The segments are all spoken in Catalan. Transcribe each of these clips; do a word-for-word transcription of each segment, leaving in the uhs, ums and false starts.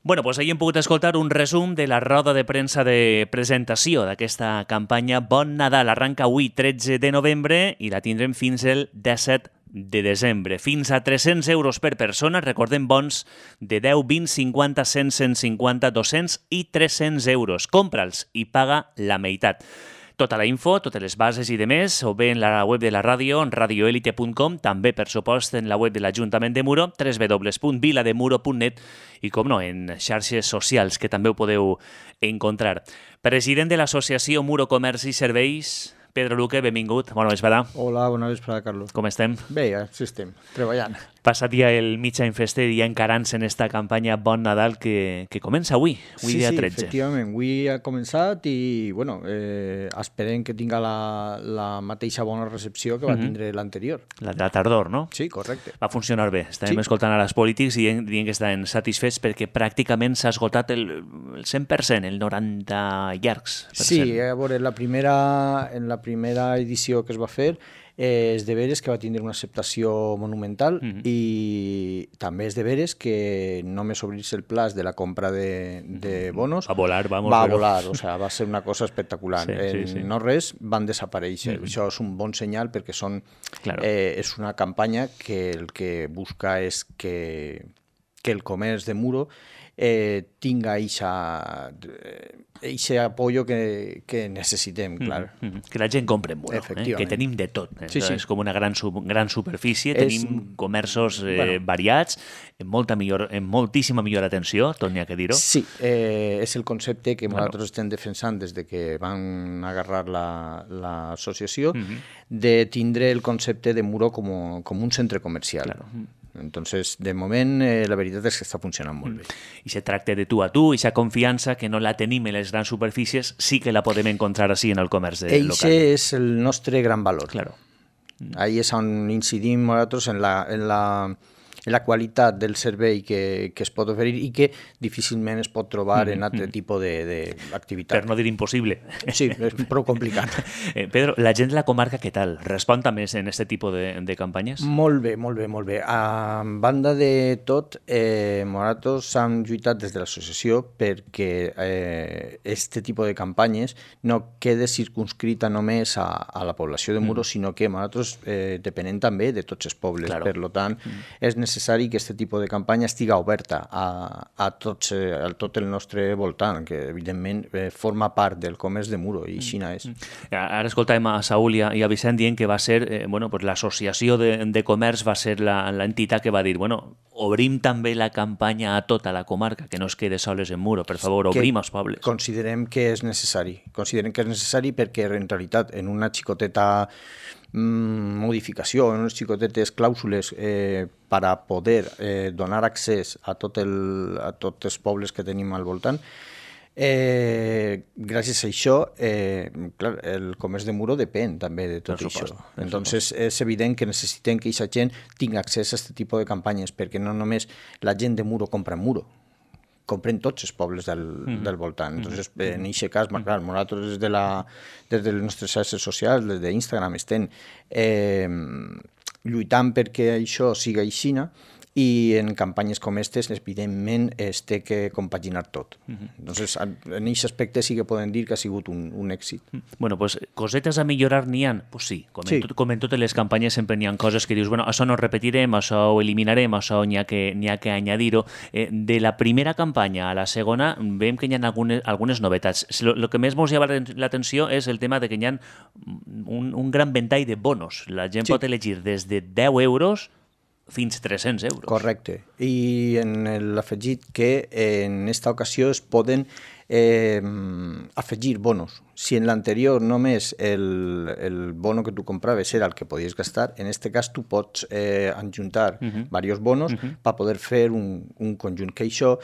Bueno, doncs ahir hem pogut escoltar un resum de la roda de premsa de presentació d'aquesta campanya Bon Nadal. Arranca avui, tretze de novembre, i la tindrem fins el disset de desembre. Fins a tres-cents euros per persona, recordem bons de deu, vint, cinquanta, cent, cent cinquanta, dos-cents i tres-cents euros. Compra'ls i paga la meitat. Tota la info, totes les bases i demés, o bé en la web de la ràdio, en radioelite punt com, també, per supost, en la web de l'Ajuntament de Muro, w w w punt vilademuro punt net, i, com no, en xarxes socials, que també ho podeu encontrar. President de l'Associació Muro Comerç i Serveis, Pedro Luque, benvingut. Bona vesprada. Hola, bona vesprada, Carlos. Com estem? Bé, així estem, treballant. Passat ja el mig any fester i ja encarant-se en esta campanya Bon Nadal que, que comença avui, avui sí, dia sí, tretze. Sí, efectivament, avui ha començat i, bueno, eh, esperem que tinga la, la mateixa bona recepció que va Mhm. tindre l'anterior. La de la tardor, no? Sí, correcte. Va funcionar bé. Estàvem Sí. escoltant ara els polítics i dient, dient que estaven satisfets perquè pràcticament s'ha esgotat el, el cent per cent, el noranta llargs per Sí, cent. a veure, la primera, en la primera edició que es va fer eh, és de veres que va tindre una acceptació monumental Mhm. i també és de veres que només obrir-se el plaç de la compra de, de bonos A volar, vamos. va a però- volar, o sea, va ser una cosa espectacular. Sí, sí, en sí. no res van desaparèixer. Mhm. Això és un bon senyal perquè són, Claro. eh, és una campanya que el que busca és que, que el comerç de Muro eh, tinga eixe apoyo que, que necessitem, clar. Mm, mm, que la gent compra en Muro, eh? Efectivament. Que tenim de tot. Eh? Sí, sí. És com una gran, sub, gran superfície, És- tenim comerços eh, bueno. variats, en, molta millor, en moltíssima millor atenció, tot n'hi ha que dir-ho. Sí, eh, és el concepte que Claro. nosaltres estem defensant des de que van agarrar la- l'associació, Mhm. de tindre el concepte de Muro com, com un centre comercial. Claro. Entonces, de moment, eh, la veritat és que està funcionant molt bé. I se tracta de tu a tu, i aquesta confiança que no la tenim en les grans superfícies, sí que la podem encontrar així en el comerç de, Eixe local. és el nostre gran valor. Claro. Ahí és on incidim nosaltres en la, en la, en la qualitat del servei que, que es pot oferir i que difícilment es pot trobar en altre tipus d'activitat. Per no dir impossible. Sí, és prou complicat. Eh, Pedro, la gent de la comarca, què tal? Respon també en aquest tipus de, de campanyes? Molt bé, molt bé, molt bé. A banda de tot, eh, nosaltres hem lluitat des de l'associació perquè eh, este tipus de campanyes no quede circunscrita només a, a la població de Muro, mm. sinó que nosaltres eh, depenem també de tots els pobles. Claro. Per tant, mm. és necessari que aquest tipus de campanya estiga oberta a, a, tots, eh, a tot el nostre voltant, que evidentment eh, forma part del comerç de Muro, i així és. Ara escoltàvem a Saúl i a, i a Vicent dient que va ser, eh, bueno, pues l'associació de, de comerç va ser la- l'entitat que va dir, bueno, obrim també la campanya a tota la comarca, que no es quede soles en Muro, per favor, Que obrim els pobles. Considerem que és necessari. Considerem que és necessari perquè, en realitat, en una xicoteta mm, modificació, en unes xicotetes clàusules eh, per a poder eh, donar accés a, tot el, a tots els pobles que tenim al voltant, Eh, gràcies a això, eh, clar, el comerç de Muro depèn també de tot Per això. supost, per Entonces, és evident que necessitem que aquesta gent tingui accés a aquest tipus de campanyes, perquè no només la gent de Muro compra en Muro, compren tots els pobles del, mm-hmm. del voltant. Entonces, en aquest cas, mm-hmm. clar, nosaltres des de, la, des de les nostres xarxes socials, des d'Instagram, estem eh, lluitant perquè això siga aixina, i en campanyes com aquestes, evidentment, es té que compaginar tot. Mm-hmm. Entonces, en aquest aspecte sí que podem dir que ha sigut un, un èxit. Bueno, pues cosetes a millorar n'hi ha? Pues sí, com, Sí. En tot, com en totes les campanyes sempre n'hi ha coses que dius, bueno, això no ho repetirem, això ho eliminarem, això n'hi ha que, n'hi ha que añadir-ho. Eh, de la primera campanya a la segona veiem que hi ha algunes, algunes novetats. Lo, lo que més ens llama l'atenció és el tema de que hi ha un, un gran ventall de bonos. La gent Sí. pot elegir des de deu euros fins tres-cents euros. Correcte. I en l'afegit que en esta ocasió es poden eh, afegir bonos. Si en l'anterior només el, el bono que tu compraves era el que podies gastar, en este cas tu pots eh, adjuntar uh-huh. diversos bonos uh-huh. per poder fer un, un conjunt. Que això,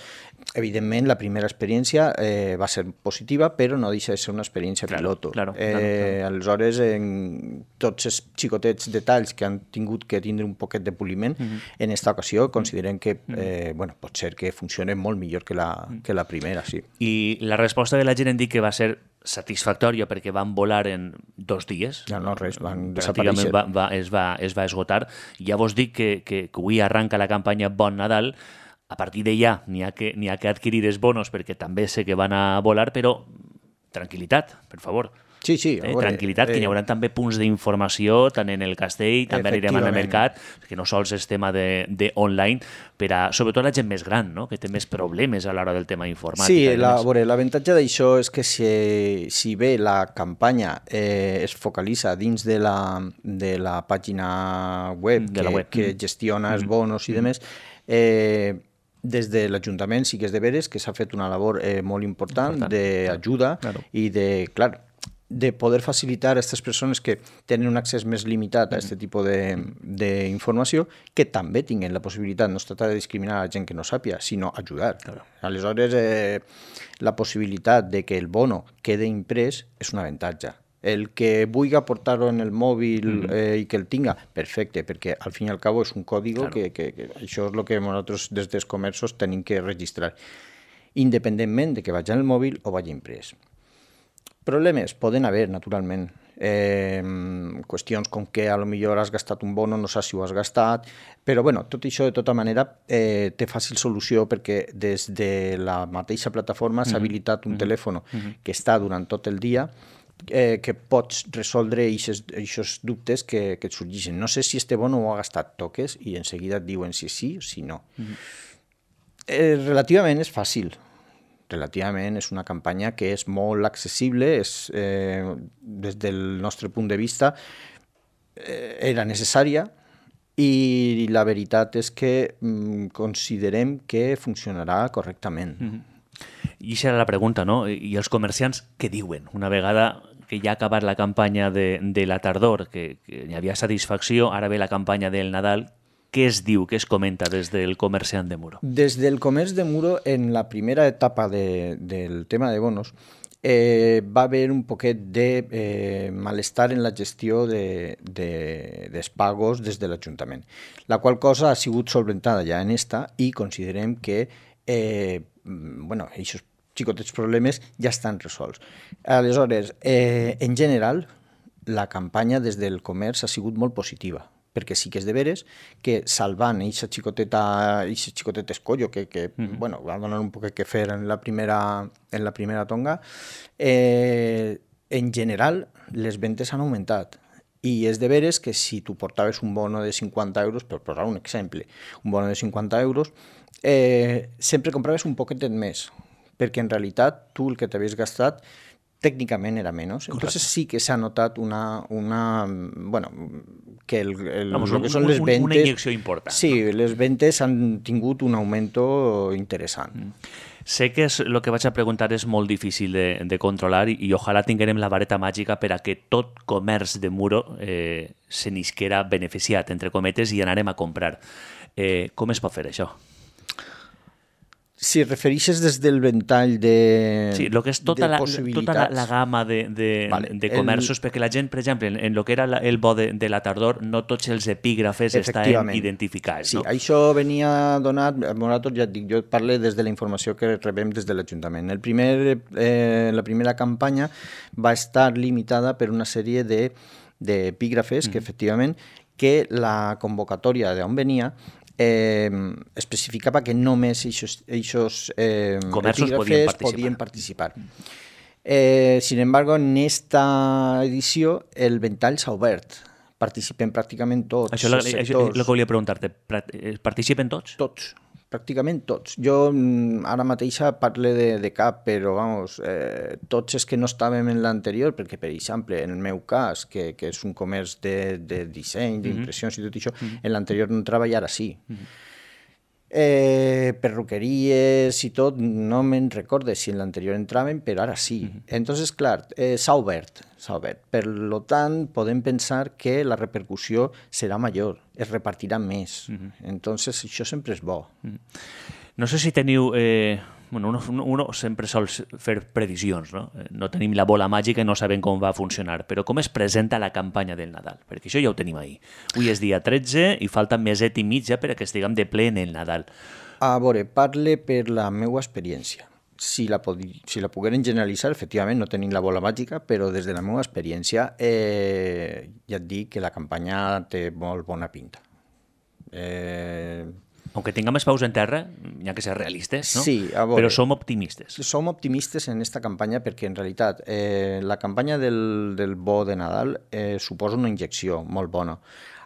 evidentment, la primera experiència eh, va ser positiva, però no deixa de ser una experiència Claro, piloto. claro, eh, claro, claro. Aleshores, en tots els xicotets detalls que han tingut que tindre un poquet de poliment, uh-huh. en esta ocasió considerem que eh, bueno, pot ser que funcione molt millor que la, que la primera, sí. I la resposta de la gent em dic que va ser satisfactòria perquè van volar en dos dies. Ja no, res, van Pràcticament desaparèixer. va, va, es, va, es va esgotar. Ja vos dic que, que, que avui arranca la campanya Bon Nadal. a partir d'allà n'hi ha, que, n'hi ha que adquirir els bonos perquè també sé que van a volar, però tranquil·litat, per favor. Sí, sí. Eh, veure, tranquil·litat, eh, que hi haurà també punts d'informació tant en el castell, també anirem al mercat, que no sols és tema de, de online, per a, sobretot la gent més gran, no? Que té més problemes a l'hora del tema informàtic. Sí, la, veure, l'avantatge d'això és que si, si bé la campanya eh, es focalitza dins de la, de la pàgina web, de que, la web. que gestiona els bonos i demés, eh, des de l'Ajuntament sí que és de veres que s'ha fet una labor eh, molt important, important. d'ajuda claro. i de, clar, de poder facilitar a aquestes persones que tenen un accés més limitat a aquest tipus d'informació, que també tinguin la possibilitat, no es tracta de discriminar a la gent que no sàpia, sinó ajudar. Claro. Aleshores, eh, la possibilitat de que el bono quede imprès és un avantatge. El que vulgui portar-ho en el mòbil eh, i que el tinga, perfecte, perquè al fin i al cabo és un codi claro. que, que, que això és el que nosaltres des dels comerços tenim que registrar, independentment de que vagi en el mòbil o vagi imprès. Problemes poden haver, naturalment. Eh, qüestions com que a lo millor has gastat un bono, no saps si ho has gastat, però bueno, tot això de tota manera eh, té fàcil solució perquè des de la mateixa plataforma s'ha habilitat un telèfon que està durant tot el dia eh, que pots resoldre aquests dubtes que, que et sorgeixen. No sé si este bono ho ha gastat, toques i en seguida et diuen si sí o si no. Eh, relativament és fàcil. Relativament és una campanya que és molt accessible, és, eh, des del nostre punt de vista eh, era necessària i la veritat és que mm, considerem que funcionarà correctament. Mm-hmm. I això era la pregunta, no? I els comerciants què diuen? Una vegada que ja ha acabat la campanya de, de la tardor, que, que hi havia satisfacció, ara ve la campanya del Nadal. Què es diu, què es comenta des del comerciant de Muro? Des del comerç de Muro, en la primera etapa de, del tema de bonos, eh, va haver un poquet de eh, malestar en la gestió de, de, dels pagos des de l'Ajuntament, la qual cosa ha sigut solventada ja en esta i considerem que eh, bueno, aquests xicotets problemes ja estan resolts. Aleshores, eh, en general, la campanya des del comerç ha sigut molt positiva, perquè sí que és de veres que salvant aquesta xicoteta, aquest xicotet escollo que, que mm-hmm. bueno, va donar un poc que fer en la primera, en la primera tonga, eh, en general les ventes han augmentat. I és de veres que si tu portaves un bono de cinquanta euros, per posar un exemple, un bono de cinquanta euros, eh, sempre compraves un poquetet més, perquè en realitat tu el que t'havies gastat tècnicament era menys. Entonces sí que s'ha notat una, una bueno, que el, el, Vamos, lo que són les ventes... Una injecció important. Sí, no? Les ventes han tingut un augmento interessant. Mm. Sé que és, el que vaig a preguntar és molt difícil de, de controlar i, i ojalà tinguem la vareta màgica per a que tot comerç de Muro eh, se n'isquera beneficiat, entre cometes, i anarem a comprar. Eh, com es pot fer això? Si refereixes des del ventall de Sí, lo que és tota, la, tota la, la gamma de, de, vale. de comerços, el... perquè la gent, per exemple, en, en lo que era la, el bo de, de la tardor, no tots els epígrafes estan identificats. Sí, no? Això venia donat, nosaltres ja et dic, jo parlo des de la informació que rebem des de l'Ajuntament. El primer, eh, la primera campanya va estar limitada per una sèrie d'epígrafes de, mm. que, efectivament, que la convocatòria d'on venia Eh, especificava que només aquests eh, comerços podien participar. Podien participar. Eh, sin embargo, en esta edició el ventall s'ha obert. Participen pràcticament tots. Això és el que volia preguntar-te. Participen tots? Tots. Pràcticament tots. Jo ara mateixa parlo de, de cap, però vamos, eh, tots els que no estàvem en l'anterior, perquè per exemple, en el meu cas, que, que és un comerç de, de disseny, d'impressions mm-hmm. i tot això, mm-hmm. en l'anterior no treballava, ara sí. Mm-hmm. Eh, perruqueries i tot, no me'n recordo si en l'anterior entraven, però ara sí. Mm-hmm. Entonces, clar, eh, s'ha obert, s'ha obert. Per tant, podem pensar que la repercussió serà major, es repartirà més. Mm-hmm. Entonces, això sempre és bo. Mm-hmm. No sé si teniu... Eh... Bueno, uno, uno sempre sol fer previsions, no? No tenim la bola màgica i no sabem com va funcionar, però com es presenta la campanya del Nadal? Perquè això ja ho tenim ahir. Avui és dia tretze i falta meset i mitja per a que estiguem de ple en el Nadal. A veure, parle per la meva experiència. Si la, si la pogueren generalitzar, efectivament no tenim la bola màgica, però des de la meva experiència eh, ja et dic que la campanya té molt bona pinta. Eh... Aunque tinguem els peus en terra, hi ha que ser realistes, no? Sí, a veure, però som optimistes. Som optimistes en aquesta campanya perquè, en realitat, eh, la campanya del, del bo de Nadal eh, suposa una injecció molt bona.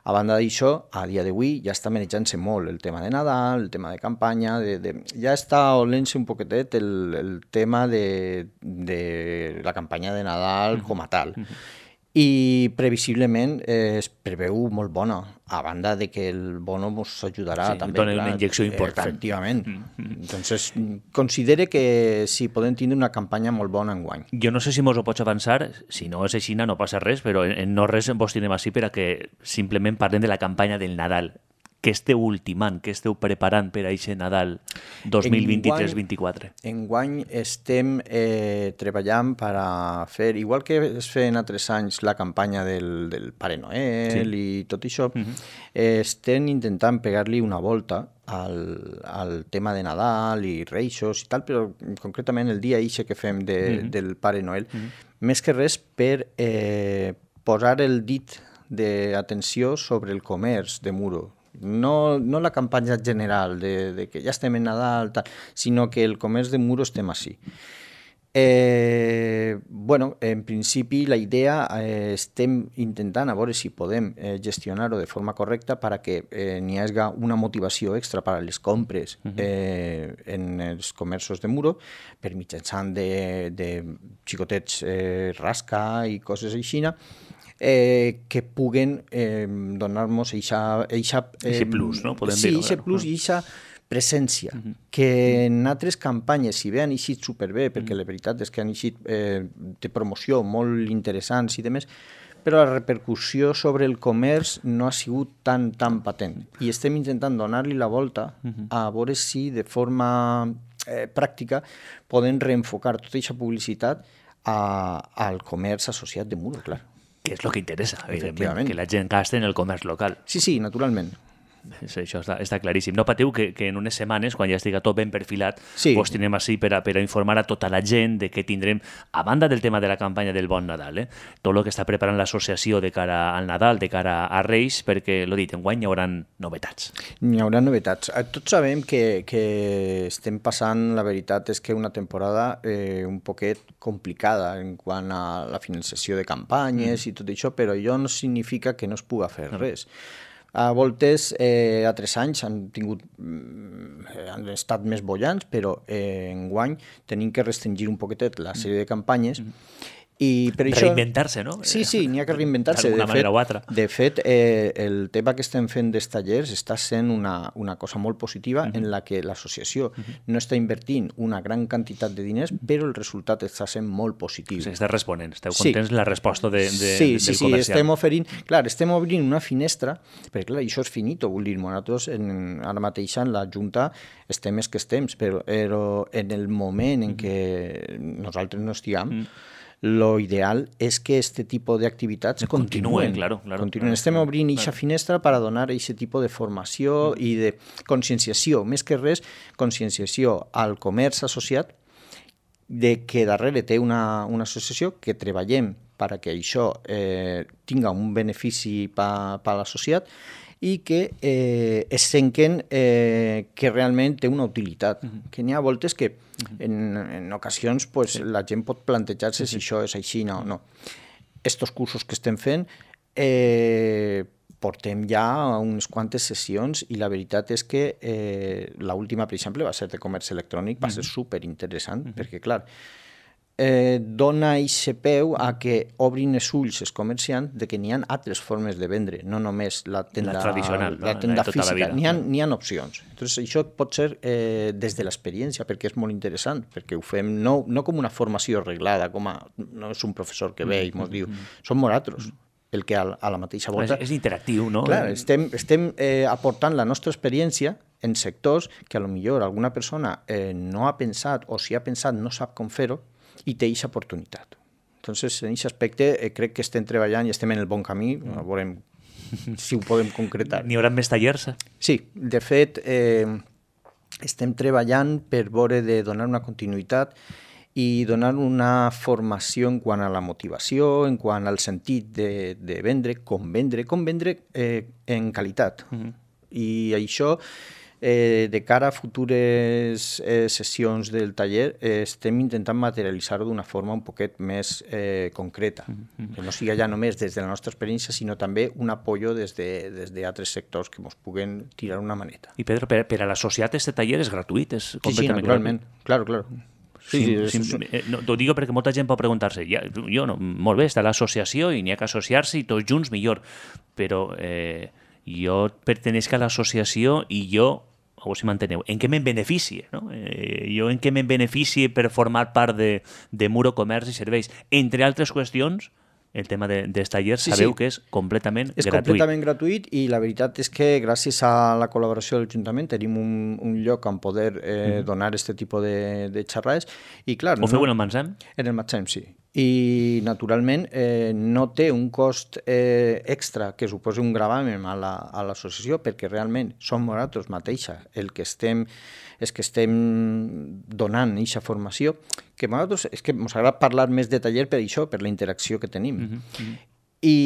A banda d'això, a dia d'avui ja està manejant-se molt el tema de Nadal, el tema de campanya, de, de, ja està olent-se un poquetet el, el tema de, de la campanya de Nadal com a tal. I previsiblement eh, es preveu molt bona, a banda de que el bono ens ajudarà sí, també. Dona una injecció important. Efectivament. Mm-hmm. Entonces, considere que sí, podem tindre una campanya molt bona enguany. Jo no sé si mos ho pots avançar, si no és així no passa res, però en no res vos tindrem així per a que simplement parlem de la campanya del Nadal. Què esteu ultimant, què esteu preparant per a aquest Nadal dos mil vint-i-tres vint-i-quatre? Enguany estem eh, treballant per a fer, igual que es feien altres anys la campanya del, del Pare Noel sí. i tot això, uh-huh. eh, estem intentant pegar-li una volta al, al tema de Nadal i Reixos i tal, però concretament el dia ixe que fem de, uh-huh. del Pare Noel, uh-huh. més que res per eh, posar el dit d'atenció sobre el comerç de Muro. No, no la campanya general de, de que ja estem en Nadal, tal, sinó que el comerç de Muro estem així. Eh, bueno, en principi la idea eh, estem intentant a veure si podem eh, gestionar-ho de forma correcta per a que eh, n'hi hagi una motivació extra per a les compres eh, en els comerços de Muro, per mitjançant de, de xicotets eh, rasca i coses així, Eh, que puguen eh, donar-nos eixa, eixa, eh, eixe plus, no? Podem sí, dir-ho, eixe claro. plus i eixa presència, uh-huh. que en altres campanyes, si bé han eixit superbé, perquè uh-huh. la veritat és que han eixit eh, de promoció molt interessants i demés, però la repercussió sobre el comerç no ha sigut tan, tan patent. I estem intentant donar-li la volta uh-huh. a veure si de forma eh, pràctica podem reenfocar tota aquesta publicitat a, al comerç associat de Muro, clar. Que és el que interessa, evidentment, que la gent gasti en el comerç local. Sí, sí, naturalment. Això està, està claríssim. No patiu que, que en unes setmanes, quan ja estigui tot ben perfilat, sí. vos tindrem així per a, per a informar a tota la gent de què tindrem, a banda del tema de la campanya del Bon Nadal, eh? tot el que està preparant l'associació de cara al Nadal, de cara a Reis, perquè, l'ho dit, enguany hi haurà novetats. Hi haurà novetats. Tots sabem que, que estem passant, la veritat és que una temporada eh, un poquet complicada en quant a la finalització de campanyes mm. i tot això, però això no significa que no es puga fer no. res. A voltes, eh, a tres anys han tingut, han estat més bollants, però eh, enguany tenim que restringir un poquetet la sèrie de campanyes. I per això... Reinventar-se, no? Sí, sí, n'hi ha que reinventar-se. D'alguna manera o altra. De fet, eh, el tema que estem fent dels tallers està sent una, una cosa molt positiva uh-huh. en la que l'associació uh-huh. no està invertint una gran quantitat de diners, però el resultat està sent molt positiu. O sigui, està responent, esteu contents sí. la resposta de, de, sí, del sí, sí, comercial. Estem oferint, clar, estem obrint una finestra, perquè clar, això és finito, vull dir, nosaltres en, ara mateix en la Junta estem més que estem, però, però en el moment en què nosaltres no estiguem, uh-huh. lo ideal és que este tipus d'activitats continuen. Claro, claro, continuen. Claro, Estem obrint aquesta claro. finestra per a donar aquest tipus de formació mm. i de conscienciació, més que res, conscienciació al comerç associat de que darrere té una, una associació que treballem per a que això eh, tinga un benefici per a l'associat i que eh, es senquen eh, que realment té una utilitat. Uh-huh. Que n'hi ha voltes que en, en ocasions pues, sí. la gent pot plantejar-se sí, sí. si això és així o no. Estos cursos que estem fent eh, portem ja unes quantes sessions i la veritat és que eh, l'última, per exemple, va ser de comerç electrònic, va ser superinteressant, uh-huh. perquè, clar, eh, dona aquest peu a que obrin els ulls els comerciants de que n'hi ha altres formes de vendre, no només la tenda, la tradicional, la tenda tota física, la n'hi ha, n'hi ha opcions. Entonces, això pot ser eh, des de l'experiència, perquè és molt interessant, perquè ho fem no, no com una formació arreglada, com a, no és un professor que ve i ens diu, som nosaltres, el que a, a la mateixa volta... És, és interactiu, no? Clar, estem, estem eh, aportant la nostra experiència en sectors que a lo millor alguna persona eh, no ha pensat o si ha pensat no sap com fer-ho, i té aquesta oportunitat. Entonces, en aquest aspecte, eh, crec que estem treballant i estem en el bon camí, mm. veurem si ho podem concretar. N'hi haurà més tallers? Sí, de fet, eh, estem treballant per veure de donar una continuïtat i donar una formació en quant a la motivació, en quant al sentit de, de vendre, com vendre, com vendre eh, en qualitat. Mm-hmm. I això eh, de cara a futures eh, sessions del taller eh, estem intentant materialitzar-ho d'una forma un poquet més eh, concreta, mm-hmm. que no siga ja només des de la nostra experiència, sinó també un apoyo des de, des d'altres sectors que ens puguen tirar una maneta. I Pedro, per, per a l'associat este taller és gratuït? És sí, sí, naturalment, claro, claro. Sí, sí, sí, sí. No, t'ho dic perquè molta gent pot preguntar-se, ja, jo no, molt bé, està l'associació i n'hi ha que associar-se i tots junts millor, però eh, jo pertenec a l'associació i jo, a veure si m'enteneu, en què me'n beneficie? No? Eh, jo en què me'n beneficie per formar part de, de Muro Comerç i Serveis? Entre altres qüestions, el tema de, dels tallers, sí, sabeu sí. que és completament és gratuït. És completament gratuït i la veritat és que gràcies a la col·laboració de l'Ajuntament tenim un, un lloc on poder eh, mm-hmm. donar aquest tipus de, de xerrades. I, clar, Ho feu no, en el Mansem? En el Mansem, sí. I, naturalment, eh, no té un cost eh, extra que suposi un gravamen a l'associació, la, perquè realment som nosaltres mateixa el que estem, és que estem donant aquesta formació, que nosaltres, és que ens agrada parlar més de taller per això, per la interacció que tenim. Mm-hmm. I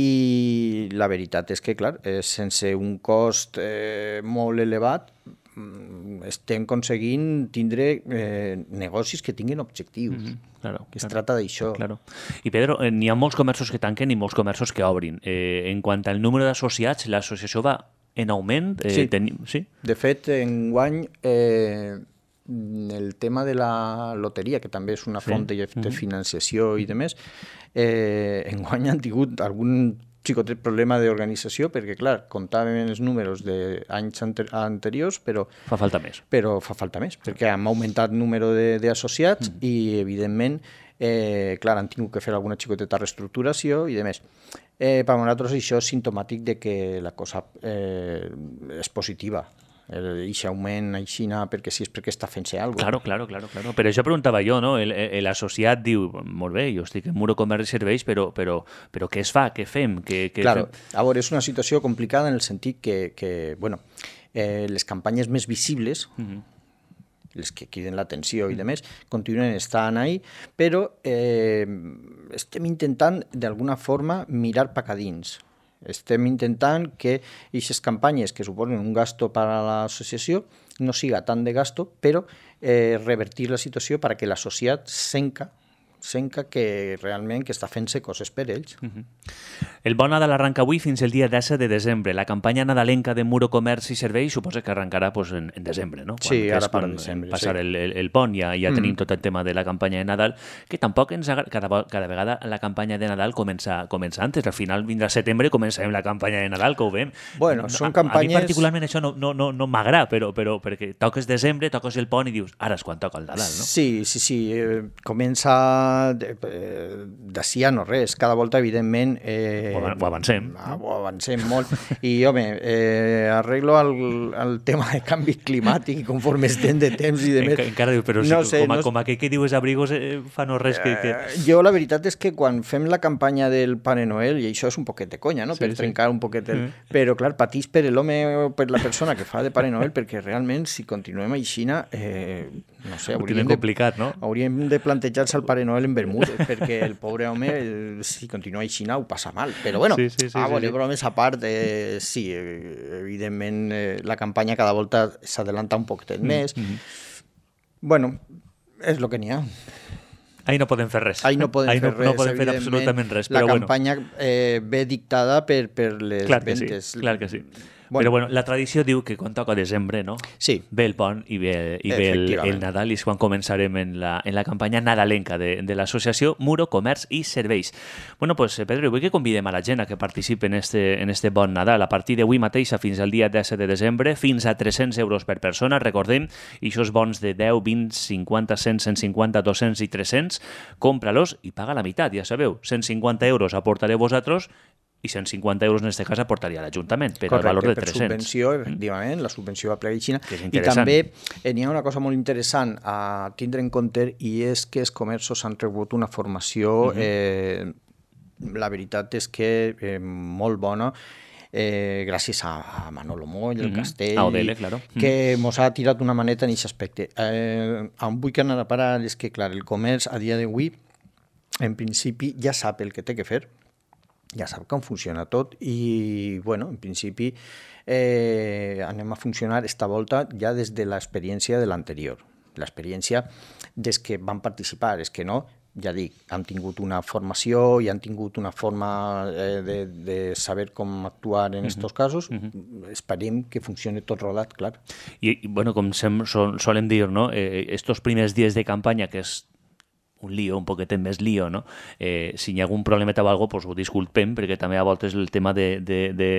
la veritat és que, clar, eh, sense un cost eh, molt elevat, estem aconseguint tindre eh, negocis que tinguin objectius. Mm-hmm. Claro, que es claro, trata d'això. Claro. I Pedro, eh, n'hi ha molts comerços que tanquen i molts comerços que obrin. Eh, en quant al número d'associats, l'associació va en augment? Eh, sí. Ten... sí. De fet, enguany eh, el tema de la loteria, que també és una font sí. de, de financiació mm-hmm. i de més, eh, enguany han tingut algun xicotet problema d'organització, perquè, clar, comptàvem els números d'anys anter anteriors, però... Fa falta més. Però fa falta més, perquè hem augmentat el número d'associats mm. i, evidentment, eh, clar, han tingut que fer alguna xicoteta reestructuració i de més. Eh, per nosaltres això és simptomàtic de que la cosa eh, és positiva. Aquest augment aixina perquè sí és perquè està fent-se alguna cosa. Claro, claro, claro, claro. Per això preguntava jo, no? L'associat diu, molt bé, jo estic en Muro Comerç i Serveis, però, però, però què es fa? Què fem? Què, què claro, fem? A veure, és una situació complicada en el sentit que, que bueno, eh, les campanyes més visibles, mm-hmm. les que criden l'atenció i demés, continuen estant ahí, però eh, estem intentant d'alguna forma mirar pa a dins. Estem intentant que aquestes campanyes que suposen un gasto per a l'associació no siga tant de gasto, però eh, revertir la situació perquè l'associat senca senca que realment que està fent-se coses per ells. Uh-huh. El Bon Nadal arranca avui fins el dia disset de desembre. La campanya nadalenca de Muro Comerç i Serveis suposa que arrencarà pues, en, en desembre, no? Quan, sí, ara per quan desembre. Passar sí. el, el, el pont, ja, ja mm. tenim tot el tema de la campanya de Nadal, que tampoc ens agrada, cada, cada vegada la campanya de Nadal comença, comença antes. Al final vindrà setembre i començarem la campanya de Nadal, que ho veiem. Bueno, són a, campanyes... A mi particularment això no, no, no, no m'agrada, però, però perquè toques desembre, toques el pont i dius, ara és quan toca el Nadal, no? Sí, sí, sí. Eh, comença... De, eh, d'ací a no res, cada volta evidentment eh, ho avancem ho avancem molt i home, eh, arreglo el, el tema de canvi climàtic conforme estem de temps i de més Enc encara diu, però no si, sé, com, a, no... com aquell que dius abrigos eh, fa no res que, que... Eh, jo la veritat és que quan fem la campanya del Pare Noel, i això és un poquet de conya, no? Sí, per sí. trencar un poquet el... Mm. Però clar, patís per l'home o per la persona que fa de Pare Noel, perquè realment si continuem aixina eh, no sé, hauríem de, complicat, no? hauríem de plantejar-se el Pare Noel en Bermudes, perquè el pobre home, el, si continua així, ho passa mal. Però bueno, sí, sí, sí, ah, sí, sí. bromes a part, eh, sí, eh, evidentment eh, la campanya cada volta s'adelanta un poquet més. Mm-hmm. Bueno, és el que n'hi ha. Ahí no podem fer res. Ahí no podem Ahí fer no, res, no podem fer absolutament res. La però campanya bueno. eh, ve dictada per, per les clar que ventes. Sí, clar que sí. Bueno. Però bueno, la tradició diu que quan toca desembre, no? Sí. Ve el pont i ve, i ve el, el Nadal i és quan començarem en la, en la campanya nadalenca de, de l'associació Muro Comerç i Serveis. Bueno, pues Pedro, vull que convidem a la gent a que participi en este, en este Bon Nadal a partir d'avui mateix fins al dia disset de desembre, fins a tres-cents euros per persona, recordem, i això és bons de deu, vint, cinquanta, cent, cent cinquanta, dos-cents i tres-cents, compra-los i paga la meitat, ja sabeu, cent cinquanta euros aportareu vosaltres i cent cinquanta euros en aquest cas aportaria l'Ajuntament per al valor de tres-cents. Per subvenció, efectivament, la subvenció va plegar Xina. I també eh, n'hi ha una cosa molt interessant a tindre en compte i és que els comerços han rebut una formació, uh-huh. eh, la veritat és que eh, molt bona, eh, gràcies a, a Manolo Moll, el uh-huh. Castell, a Odele, claro. que ens ha tirat una maneta en aquest aspecte. Eh, on vull que anar a parar és que, clar, el comerç a dia d'avui, en principi, ja sap el que té que fer, ja sap com funciona tot i, bueno, en principi eh, anem a funcionar esta volta ja des de l'experiència de l'anterior. L'experiència des que van participar, és que no, ja dic, han tingut una formació i han tingut una forma eh, de, de saber com actuar en aquests uh-huh. casos. Uh-huh. Esperem que funcioni tot rodat, clar. I, i bueno, com sem, sol, solem dir, no? Eh, estos primers dies de campanya, que és un lío, un poquetet més lío, no? Eh, si hi ha algun problemeta o alguna cosa, doncs ho disculpem, perquè també a voltes el tema de, de, de,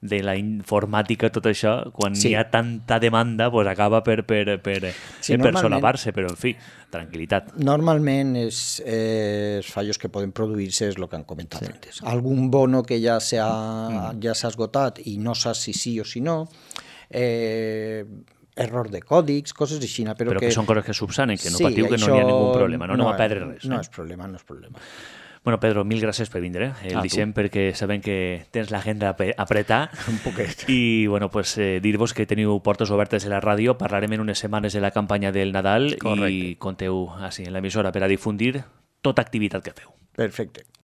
de la informàtica, tot això, quan sí. hi ha tanta demanda, doncs acaba per, per, per, sí, eh, per solapar-se, però en fi, tranquil·litat. Normalment és, eh, els fallos que poden produir-se és el que han comentat sí. antes. Algun bono que ja s'ha mm. ja s'ha esgotat i no saps si sí o si no, eh, error de còdics, coses així. Però, però que, que són coses que subsanen, que no sí, patiu, que això... no hi ha ningú problema, no, no, no va perdre res. No eh? és problema, no és problema. Bueno, Pedro, mil gràcies per vindre. El ah, deixem perquè sabem que tens l'agenda a apretar. Un poquet. I, bueno, pues, eh, dir-vos que teniu portes obertes a la ràdio. Parlarem en unes setmanes de la campanya del Nadal. Correcte. I conteu així en l'emissora per a difundir tota activitat que feu. Perfecte.